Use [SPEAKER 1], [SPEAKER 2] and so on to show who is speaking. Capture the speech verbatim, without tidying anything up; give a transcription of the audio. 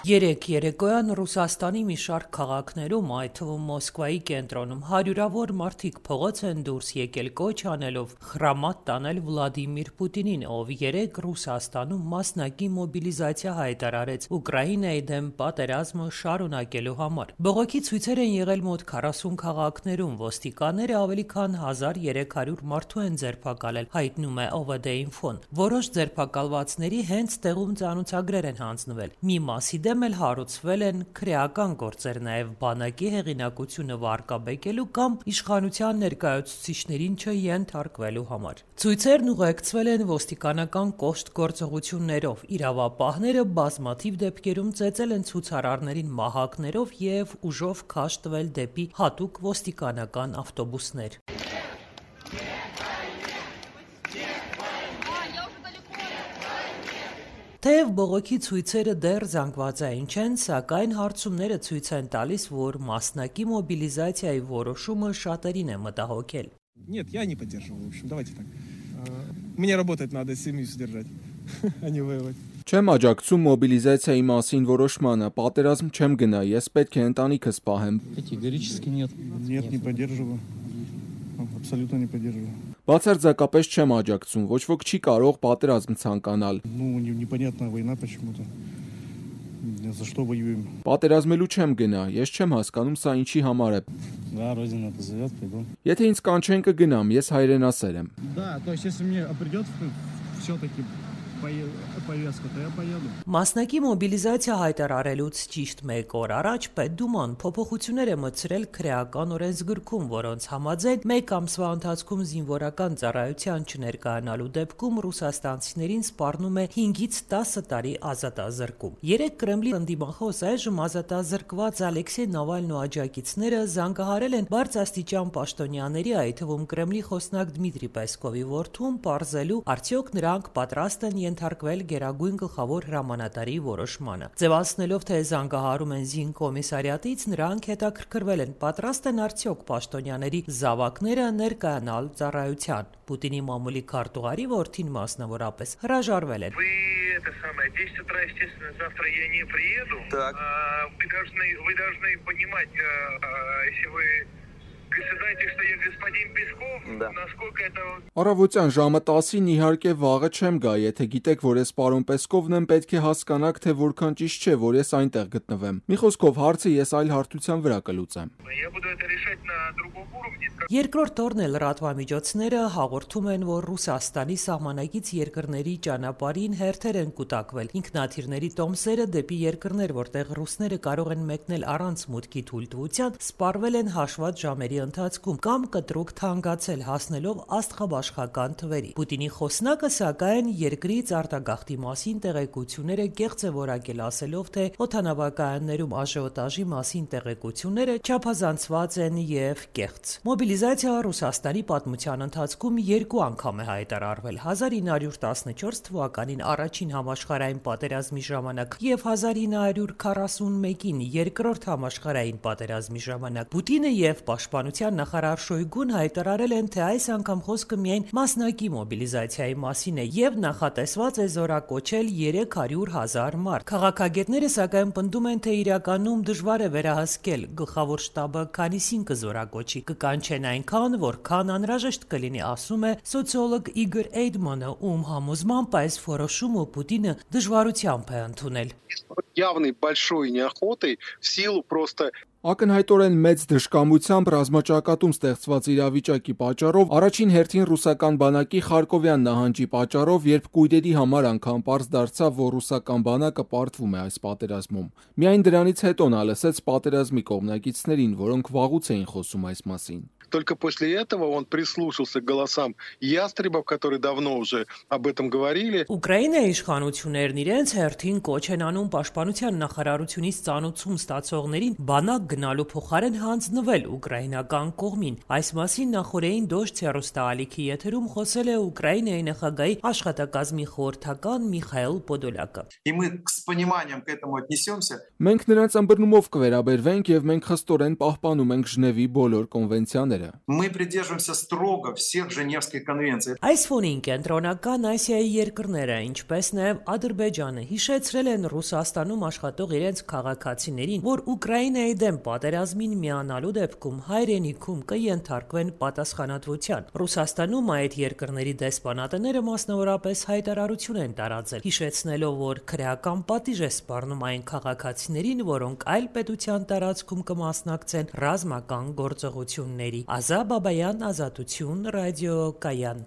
[SPEAKER 1] Երեկ երեկոյան Ռուսաստանի մի շարք քաղաքներում, այդ թվում Մոսկվայի կենտրոնում, հարյուրավոր մարդիկ փողոց են դուրս եկել կոչ անելով խրամատ տանել Վլադիմիր Պուտինին, ով երեկ Ռուսաստանում մասնակի մոբիլիզացիա հայտարարեց Ուկրաինայի դեմ պատերազմը շարունակելու համար։ Բողոքի ցույցեր են եղել մոտ քառասուն քաղաքներում, ոստիկանները ավելի քան հազար երեք հարյուր մարդու են ձերբակալել, հայտնում է Օ V D-Info-ն։ Որոշ ձերբակալվածների հենց տեղում ծանոթագրեր են հանձնվել։ Մի մասի դեմ էլ հարուցվել են քրեական գործեր, նաև բանակի հեղինակությունը վարկաբեկելու կամ իշխանության ներկայացուցիչներին չենթարկվելու համար։ Ցույցերն ուղեկցվել են ոստիկանական կոշտ գործողություններով, իրավապահները բազմաթիվ դեպքերում ծեծել են ցուցարարներին մահակներով և ուժով քաշ տվել դեպի հատուկ ոստիկանական ավտոբուսներ։ Թեև բողոքի ցույցերը դեռ զանգվածային չեն, սակայն հարցումները ցույց են տալիս, որ մասնակի մոբիլիզացիայի որոշումը շատերին է մտահոգել։
[SPEAKER 2] Нет, я не поддерживаю, в общем, давайте так. Мне работать надо, семью содержать, а не воевать.
[SPEAKER 3] Չեմ աջակցում մոբիլիզացիայի մասին որոշմանը, պատերազմ չեմ գնա, ես պետք է ընտանիքս պահեմ։
[SPEAKER 4] Կատեգորически нет.
[SPEAKER 2] Нет, не поддерживаю. Абсолютно не поддерживаю.
[SPEAKER 3] Բացարձակապես չեմ աջակցում, ոչ ոք չի կարող պատերազմ ցանկանալ։
[SPEAKER 2] Ну, непонятная война почему-то. За что воюем?
[SPEAKER 3] Պատերազմելու չեմ գնա, ես չեմ հասկանում սա ինչի համար է։
[SPEAKER 4] Да, родина позовет, пойду.
[SPEAKER 3] Եթե ինձ կանչեն կգնամ, ես հայրենասեր եմ։
[SPEAKER 2] Да, то есть если мне придёт всё-таки повестка, то я поеду.
[SPEAKER 1] Մասնակի մոբիլիզացիա հայտարարելուց ճիշտ մեկ օր առաջ Պետդուման փոփոխություններ է մտցրել քրեական օրենսգրքում, որոնց համաձայն մեկ ամսվա ընթացքում զինվորական ծառայության չներկայանալու դեպքում ռուսաստանցիներին սպառնում է հինգից տասը տարի ազատազրկում։ Երեկ Կրեմլի ընդդիմախոս այժմ ազատազրկված Ալեքսեյ Նավալնու աջակիցները զանգահարել են բարձրաստիճան պաշտոնյաների, այդ թվում Կրեմլի խոսնակ Դմիտրի Պեսկովի որդուն, պարզելու արդյոք նրանք պատրաստ են ենթարկվել Գերագույն գլխավոր հրամանատարի որոշմանը։ Ձևացնելով, թե զանգահարում են զինկոմիսարիատից, նրանք հետաքրքրվել են, պատրաստ են արդյոք պաշտոնյաների զավակները ներկայանալ ծառայության։ Պուտինի մամուլի քարտուղարի որդին մասնավորապես հրաժարվել են։
[SPEAKER 5] Это самое, в десять утра, естественно, завтра я не приеду.
[SPEAKER 6] Так.
[SPEAKER 5] А, вы должны, вы должны понимать, а, а, если вы знаете, что я господин Песков,
[SPEAKER 6] Да.
[SPEAKER 5] насколько это...
[SPEAKER 3] Առավոտյան ժամը տասին իհարկե վաղը չեմ գա, եթե գիտեք, որ ես պարոն Պեսկովն եմ, պետք է հասկանաք, թե որքան ճիշտ չէ, որ ես այնտեղ գտնվեմ։ Մի խոսքով հարցը ես այլ հարթության վրա կլուծեմ։
[SPEAKER 5] Я буду это решать на другом уровне.
[SPEAKER 1] Երկրորդ օրն էլ լրատվամիջոցները հաղորդում են, որ Ռուսաստանի սահմանակից երկրների ճանապարհին հերթեր են կուտակվել։ Ինքնաթիռների տոմսերը դեպի երկրներ, որտեղ ռուսները կարող են մեկնել առանց մուտքի թույլտվության, սպառվել են հաշված ժամերի ընթացքում կամ կտրուկ թանկացել, հասնելով աստղաբաշխական թվերի։ Պուտինի խոսնակը, սակայն, երկրից արտագաղթի մասին տեղեկությունները կեղծ է որակել, ասելով, թե օդանավակայաններում աժիոտաժի մասին տեղեկությունները չափազանցված են և կեղծ։ Մոբիլիզացիա Ռուսաստանի պատմության ընթացքում երկու անգամ է հայտարարվել՝ հազար ինը հարյուր տասնչորս թվականին առաջին համաշխարհային պատերազմի ժամանակ և հազար ինը հարյուր քառասունմեկին երկրորդ համաշխարհային պատերազմի ժամանակ։ Պուտինը և պաշտպանության նախարար Շոյգուն հայտարարել են, թե այս անգամ խոսքը միայն մասնակի մոբիլիզացիայի մասին է և նախատեսված է զորակոչել երեք հարյուր հազար մարդ։ Քաղաքագետները սակայն պնդում են, թե իրականում դժվար է վերահսկել, գլխավոր շտաբը քանիսին կզորակոչի, կկանչեն այնքան, որքան անհրաժեշտ կլինի, ասում է սոցիոլոգ Իգոր Էյդմանը, ում համոզմամբ այս որոշումը Պուտինը դժվարությամբ է ընդունել։
[SPEAKER 6] Явной большой неохотой в силу просто
[SPEAKER 3] Ակնհայտորեն մեծ դժկամությամբ ռազմաճակատում ստեղծված իրավիճակի պատճառով առաջին հերթին ռուսական բանակի Խարկովյան նահանջի պատճառով, երբ կույրերի համար անգամ պարզ դարձավ, որ ռուսական բանակը պարտվում է այս պատերազմում։ Միայն դրանից հետո նա լսեց պատերազմի կողմնակիցներին, որոնք վաղուց էին խոսում այս մասին։
[SPEAKER 6] Только после этого он прислушался к голосам ястребов, которые давно уже об этом говорили.
[SPEAKER 1] Ուկրաինայի իշխանություններն իրենց հերթին կոչ են անում պաշտպանության նախարարությունից ծանոթում ստացողներին բանակ գնալու փոխարեն հանձնվել ուկրաինական կողմին։ Այս մասին նախորդային Դոժձ հեռուստաալիքի եթերում խոսել է Ուկրաինայի նախագահի աշխատակազմի խորհրդական Միխայիլ Պոդոլյակը։
[SPEAKER 7] И мы с пониманием к этому отнесемся.
[SPEAKER 3] Մենք նրանց ըմբռնումով կվերաբերվենք եւ մենք խստորեն պահպանում ենք Ժնևի բոլոր կոնվենցիաները։ դասերը։
[SPEAKER 7] Мы придерживаемся строго всех Женевских конвенций.
[SPEAKER 1] Այս ֆոնին կենտրոնական Ասիայի երկրները, ինչպես նաև Ադրբեջանը, հիշեցրել են Ռուսաստանում աշխատող իրենց քաղաքացիներին, որ Ուկրաինայի դեմ պատերազմին միանալու դեպքում հայրենիքում կենթարկվեն պատասխանատվության։ Ռուսաստանում այդ երկրների դեսպանատները մասնավորապես հայտարարություն են տարածել, հիշեցնելով, որ քրեական պատիժ է սպառնում այն քաղաքացիներին, որոնք այլ պետության տարածքում կմասնակցեն ռազմական գործողությունների։ Ազա Բաբայան, Ազատություն, Ռադիո Կայան։